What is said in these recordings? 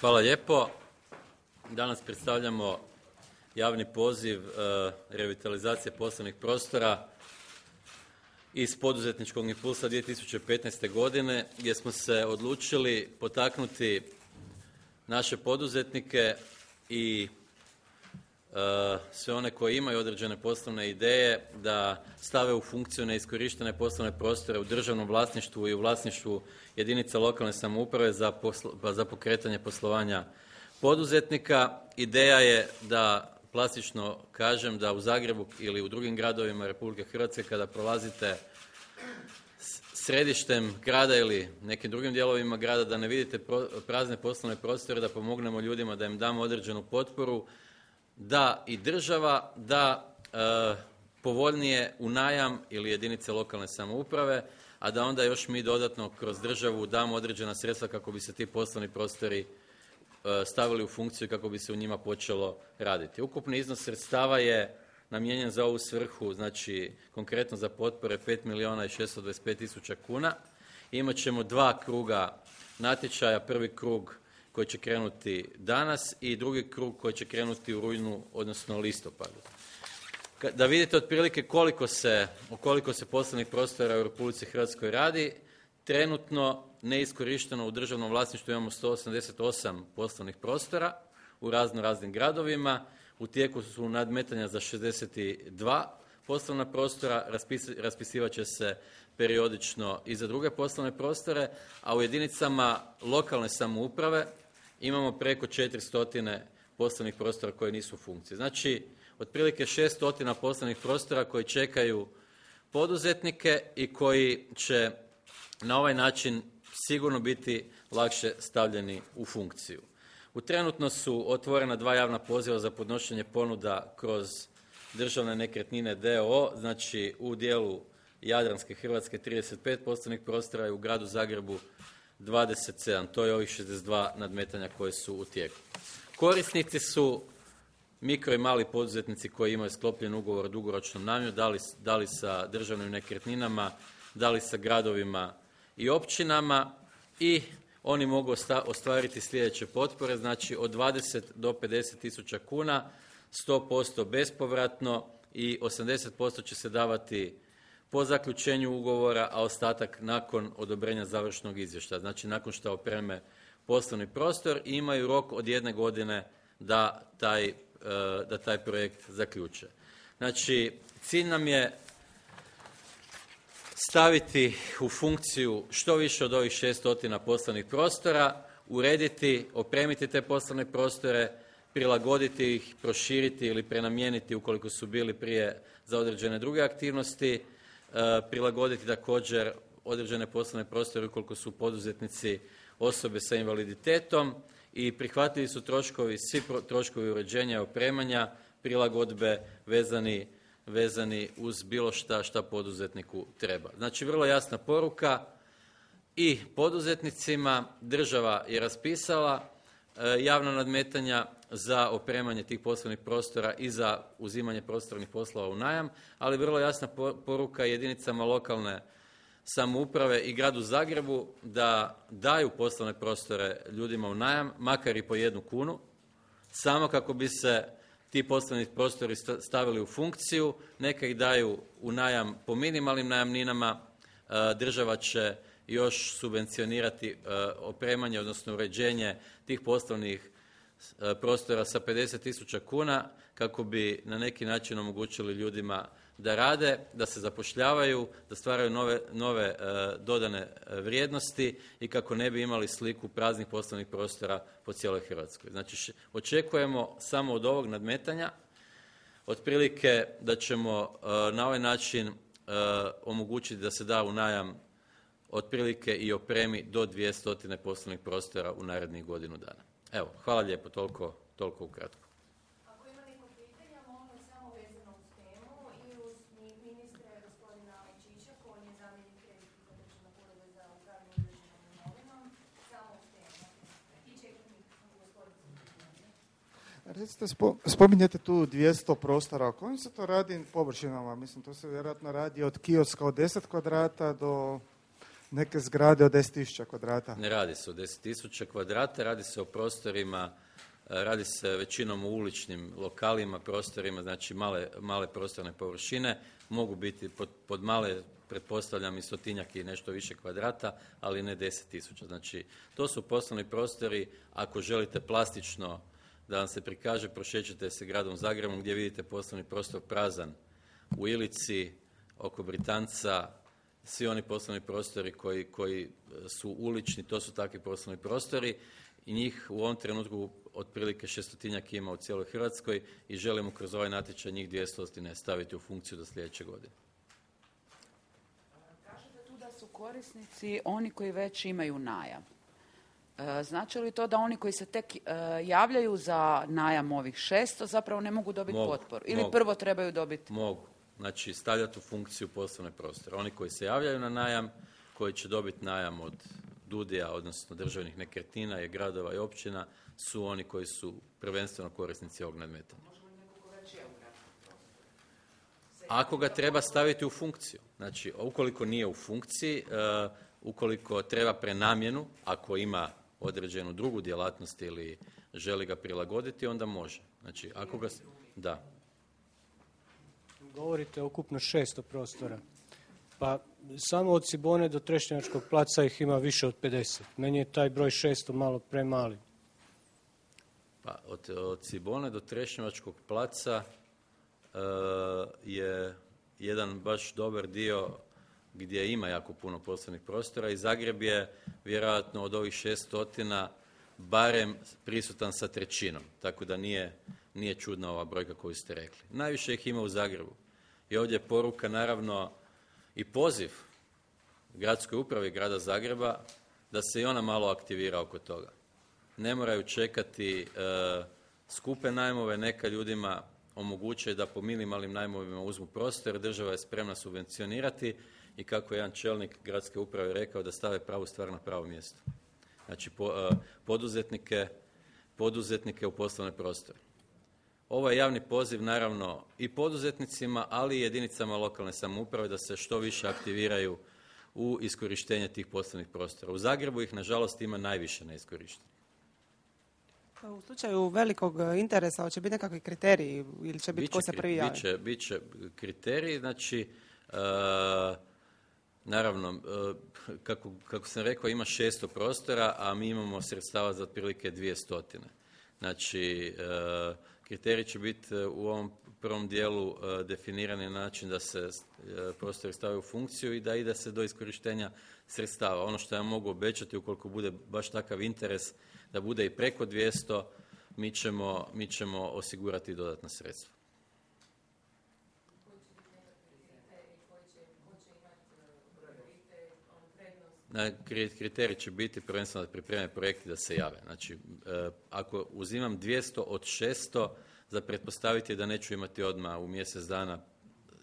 Hvala lijepo. Danas predstavljamo javni poziv revitalizacije poslovnih prostora iz poduzetničkog impulsa 2015. godine gdje smo se odlučili potaknuti naše poduzetnike i sve one koji imaju određene poslovne ideje da stave u funkciju neiskorištene poslovne prostore u državnom vlasništvu i u vlasništvu jedinica lokalne samouprave za pokretanje poslovanja poduzetnika. Ideja je da, plastično kažem, da u Zagrebu ili u drugim gradovima Republike Hrvatske kada prolazite središtem grada ili nekim drugim dijelovima grada da ne vidite prazne poslovne prostore, da pomognemo ljudima, da im damo određenu potporu, da i država da povoljnije u najam ili jedinice lokalne samouprave, a da onda još mi dodatno kroz državu damo određena sredstva kako bi se ti poslovni prostori stavili u funkciju i kako bi se u njima počelo raditi. Ukupni iznos sredstava je namijenjen za ovu svrhu, znači konkretno za potpore 5 milijuna i 625 tisuća kuna. Imat ćemo 2 kruga natječaja, prvi krug koji će krenuti danas i drugi krug koji će krenuti u rujnu, odnosno listopadu. Da vidite otprilike o koliko se poslovnih prostora u Republici Hrvatskoj radi, trenutno neiskorišteno u državnom vlasništvu imamo 188 poslovnih prostora u raznim gradovima. U tijeku su nadmetanja za 62 poslovna prostora, raspisivat će se periodično i za druge poslovne prostore, a u jedinicama lokalne samouprave imamo preko 400 poslovnih prostora koji nisu u funkciji. Znači, otprilike 600 poslovnih prostora koji čekaju poduzetnike i koji će na ovaj način sigurno biti lakše stavljeni u funkciju. Trenutno su otvorena 2 javna poziva za podnošenje ponuda kroz Državne nekretnine d.o.o., znači u dijelu Jadranske Hrvatske 35 poslovnih prostora i u gradu Zagrebu 27. To je ovih 62 nadmetanja koje su u tijeku. Korisnici su mikro i mali poduzetnici koji imaju sklopljen ugovor o dugoročnom najmu, da li sa državnim nekretninama, da li sa gradovima i općinama, i oni mogu ostvariti sljedeće potpore, znači od 20 do 50 tisuća kuna, 100% bespovratno i 80% će se davati po zaključenju ugovora, a ostatak nakon odobrenja završnog izvještaja, znači nakon što opreme poslovni prostor i imaju rok od 1 godine da taj projekt zaključe. Znači, cilj nam je staviti u funkciju što više od ovih 600 poslovnih prostora, urediti, opremiti te poslovne prostore, prilagoditi ih, proširiti ili prenamijeniti ukoliko su bili prije za određene druge aktivnosti, prilagoditi također određene poslovne prostore ukoliko su poduzetnici osobe sa invaliditetom i prihvatljivi su svi troškovi uređenja i opremanja, prilagodbe vezani uz bilo šta poduzetniku treba. Znači, vrlo jasna poruka i poduzetnicima. Država je raspisala javna nadmetanja za opremanje tih poslovnih prostora i za uzimanje prostornih poslova u najam, ali vrlo jasna poruka jedinicama lokalne samouprave i gradu Zagrebu da daju poslovne prostore ljudima u najam, makar i po 1 kunu, samo kako bi se ti poslovni prostori stavili u funkciju. Neka ih daju u najam po minimalnim najamninama, država će još subvencionirati opremanje, odnosno uređenje tih poslovnih prostora sa 50 tisuća kuna kako bi na neki način omogućili ljudima da rade, da se zapošljavaju, da stvaraju nove dodane vrijednosti i kako ne bi imali sliku praznih poslovnih prostora po cijeloj Hrvatskoj. Znači, očekujemo samo od ovog nadmetanja otprilike da ćemo na ovaj način omogućiti da se da u najam otprilike i opremi do 200 poslovnih prostora u narednih godinu dana. Evo, hvala lijepo, toliko ukratko. Ako ima neko pitanja, molim samo vezano uz temu i uz ministra gospodina Čiča, koji je zamjenik predsjednika Državnog ureda za upravljanje državnom imovinom, samo uz temu. I čekam gospodinu. Recite, spominjete tu 200 prostora, o kojim se to radi površinama? Mislim, to se vjerojatno radi od kioska od 10 kvadrata do neke zgrade od 10.000 kvadrata? Ne radi se o 10.000 kvadrata, radi se o prostorima, radi se većinom u uličnim lokalima, prostorima, znači male prostorne površine, mogu biti pod male, pretpostavljam i 100-tinjak i nešto više kvadrata, ali ne 10.000. Znači, to su poslovni prostori, ako želite plastično da vam se prikaže, prošećete se gradom Zagrebom gdje vidite poslovni prostor prazan u Ilici, oko Britanca, svi oni poslovni prostori koji su ulični, to su takvi poslovni prostori i njih u ovom trenutku otprilike 600-tinjak ima u cijeloj Hrvatskoj i želimo kroz ovaj natječaj njih 200 staviti u funkciju do sljedeće godine. Kažete tu da su korisnici oni koji već imaju najam. Znači li to da oni koji se tek javljaju za najam ovih 600 zapravo ne mogu dobiti potporu? Ili prvo trebaju dobiti? Mogu. Znači, stavljati u funkciju poslovne prostore. Oni koji se javljaju na najam, koji će dobiti najam od DUDI-a, odnosno državnih nekretnina i gradova i općina, su oni koji su prvenstveno korisnici ovog nadmetanja. Ako ga treba staviti u funkciju. Znači, ukoliko nije u funkciji, ukoliko treba prenamjenu, ako ima određenu drugu djelatnost ili želi ga prilagoditi, onda može. Znači, ako ga... Da. Govorite ukupno 600 prostora. Pa samo od Cibone do Trešnjevačkog placa ih ima više od 50. Meni je taj broj 600 malo premali. Pa od Cibone do Trešnjevačkog placa je jedan baš dobar dio gdje ima jako puno poslovnih prostora i Zagreb je vjerojatno od ovih 600 barem prisutan sa 1/3, tako da nije čudna ova brojka koju ste rekli. Najviše ih ima u Zagrebu. I ovdje je poruka naravno i poziv gradskoj upravi grada Zagreba da se i ona malo aktivira oko toga. Ne moraju čekati skupe najmove, neka ljudima omoguće da po minimalnim najmovima uzmu prostor, država je spremna subvencionirati i kako je jedan čelnik gradske uprave rekao da stave pravu stvar na pravo mjesto. Znači poduzetnike u poslovne prostore. Ovo je javni poziv naravno i poduzetnicima, ali i jedinicama lokalne samouprave da se što više aktiviraju u iskorištenje tih poslovnih prostora. U Zagrebu ih nažalost ima najviše neiskorištenih. U slučaju velikog interesa, hoće biti nekakvi kriteriji ili će biti ko se prvi javi? Biće kriteriji, znači naravno, kako sam rekao, ima 600 prostora, a mi imamo sredstava za otprilike 200. Znači, kriterij će biti u ovom prvom dijelu definirani na način da se prostori stavaju u funkciju i da ide se do iskorištenja sredstava. Ono što ja mogu obećati, ukoliko bude baš takav interes da bude i preko 200, mi ćemo osigurati dodatna sredstva. Kriterij će biti prvenstveno da pripreme projekti da se jave. Znači, ako uzimam 200 od 600, za pretpostaviti da neću imati odmah u mjesec dana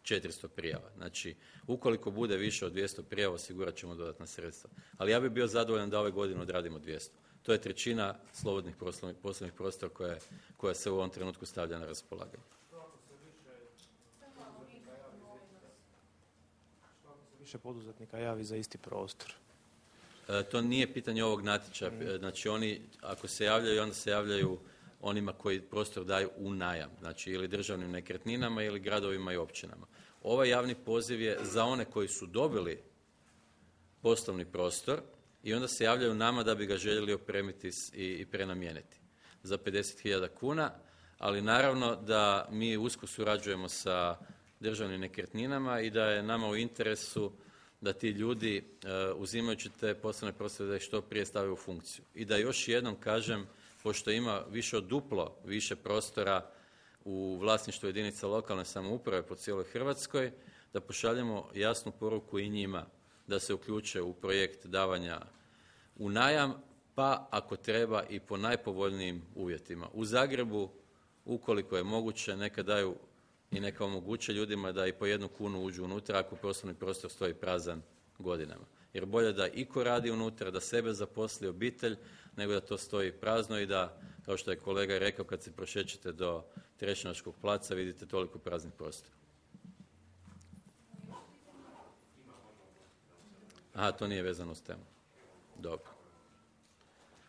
400 prijava. Znači, ukoliko bude više od 200 prijava, osigurat ćemo dodatna sredstva. Ali ja bih bio zadovoljan da ove godine odradimo 200. To je 1/3 slobodnih poslovnih prostora koja se u ovom trenutku stavlja na raspolaganje. Više poduzetnika javi za isti prostor. To nije pitanje ovog natječaja. Znači, oni ako se javljaju, onda se javljaju onima koji prostor daju u najam. Znači, ili državnim nekretninama ili gradovima i općinama. Ovaj javni poziv je za one koji su dobili poslovni prostor i onda se javljaju nama da bi ga željeli opremiti i prenamijeniti za 50.000 kuna, ali naravno da mi usko surađujemo sa državnim nekretninama i da je nama u interesu da ti ljudi uzimajući te poslovne prostore da ih što prije stave u funkciju. I da još jednom kažem, pošto ima više od duplo više prostora u vlasništvu jedinica lokalne samouprave po cijeloj Hrvatskoj, da pošaljemo jasnu poruku i njima da se uključe u projekt davanja u najam, pa ako treba i po najpovoljnijim uvjetima. U Zagrebu, ukoliko je moguće, neka daju i neka omoguće ljudima da i po 1 kunu uđu unutra ako poslovni prostor stoji prazan godinama. Jer bolje da iko radi unutra, da sebe zaposli obitelj, nego da to stoji prazno i da, kao što je kolega rekao, kad se prošećete do Trešnjevačkog placa vidite toliko praznih prostora. Aha, to nije vezano s temu. Dobro.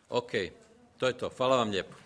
Ok, to je to. Hvala vam lijepo.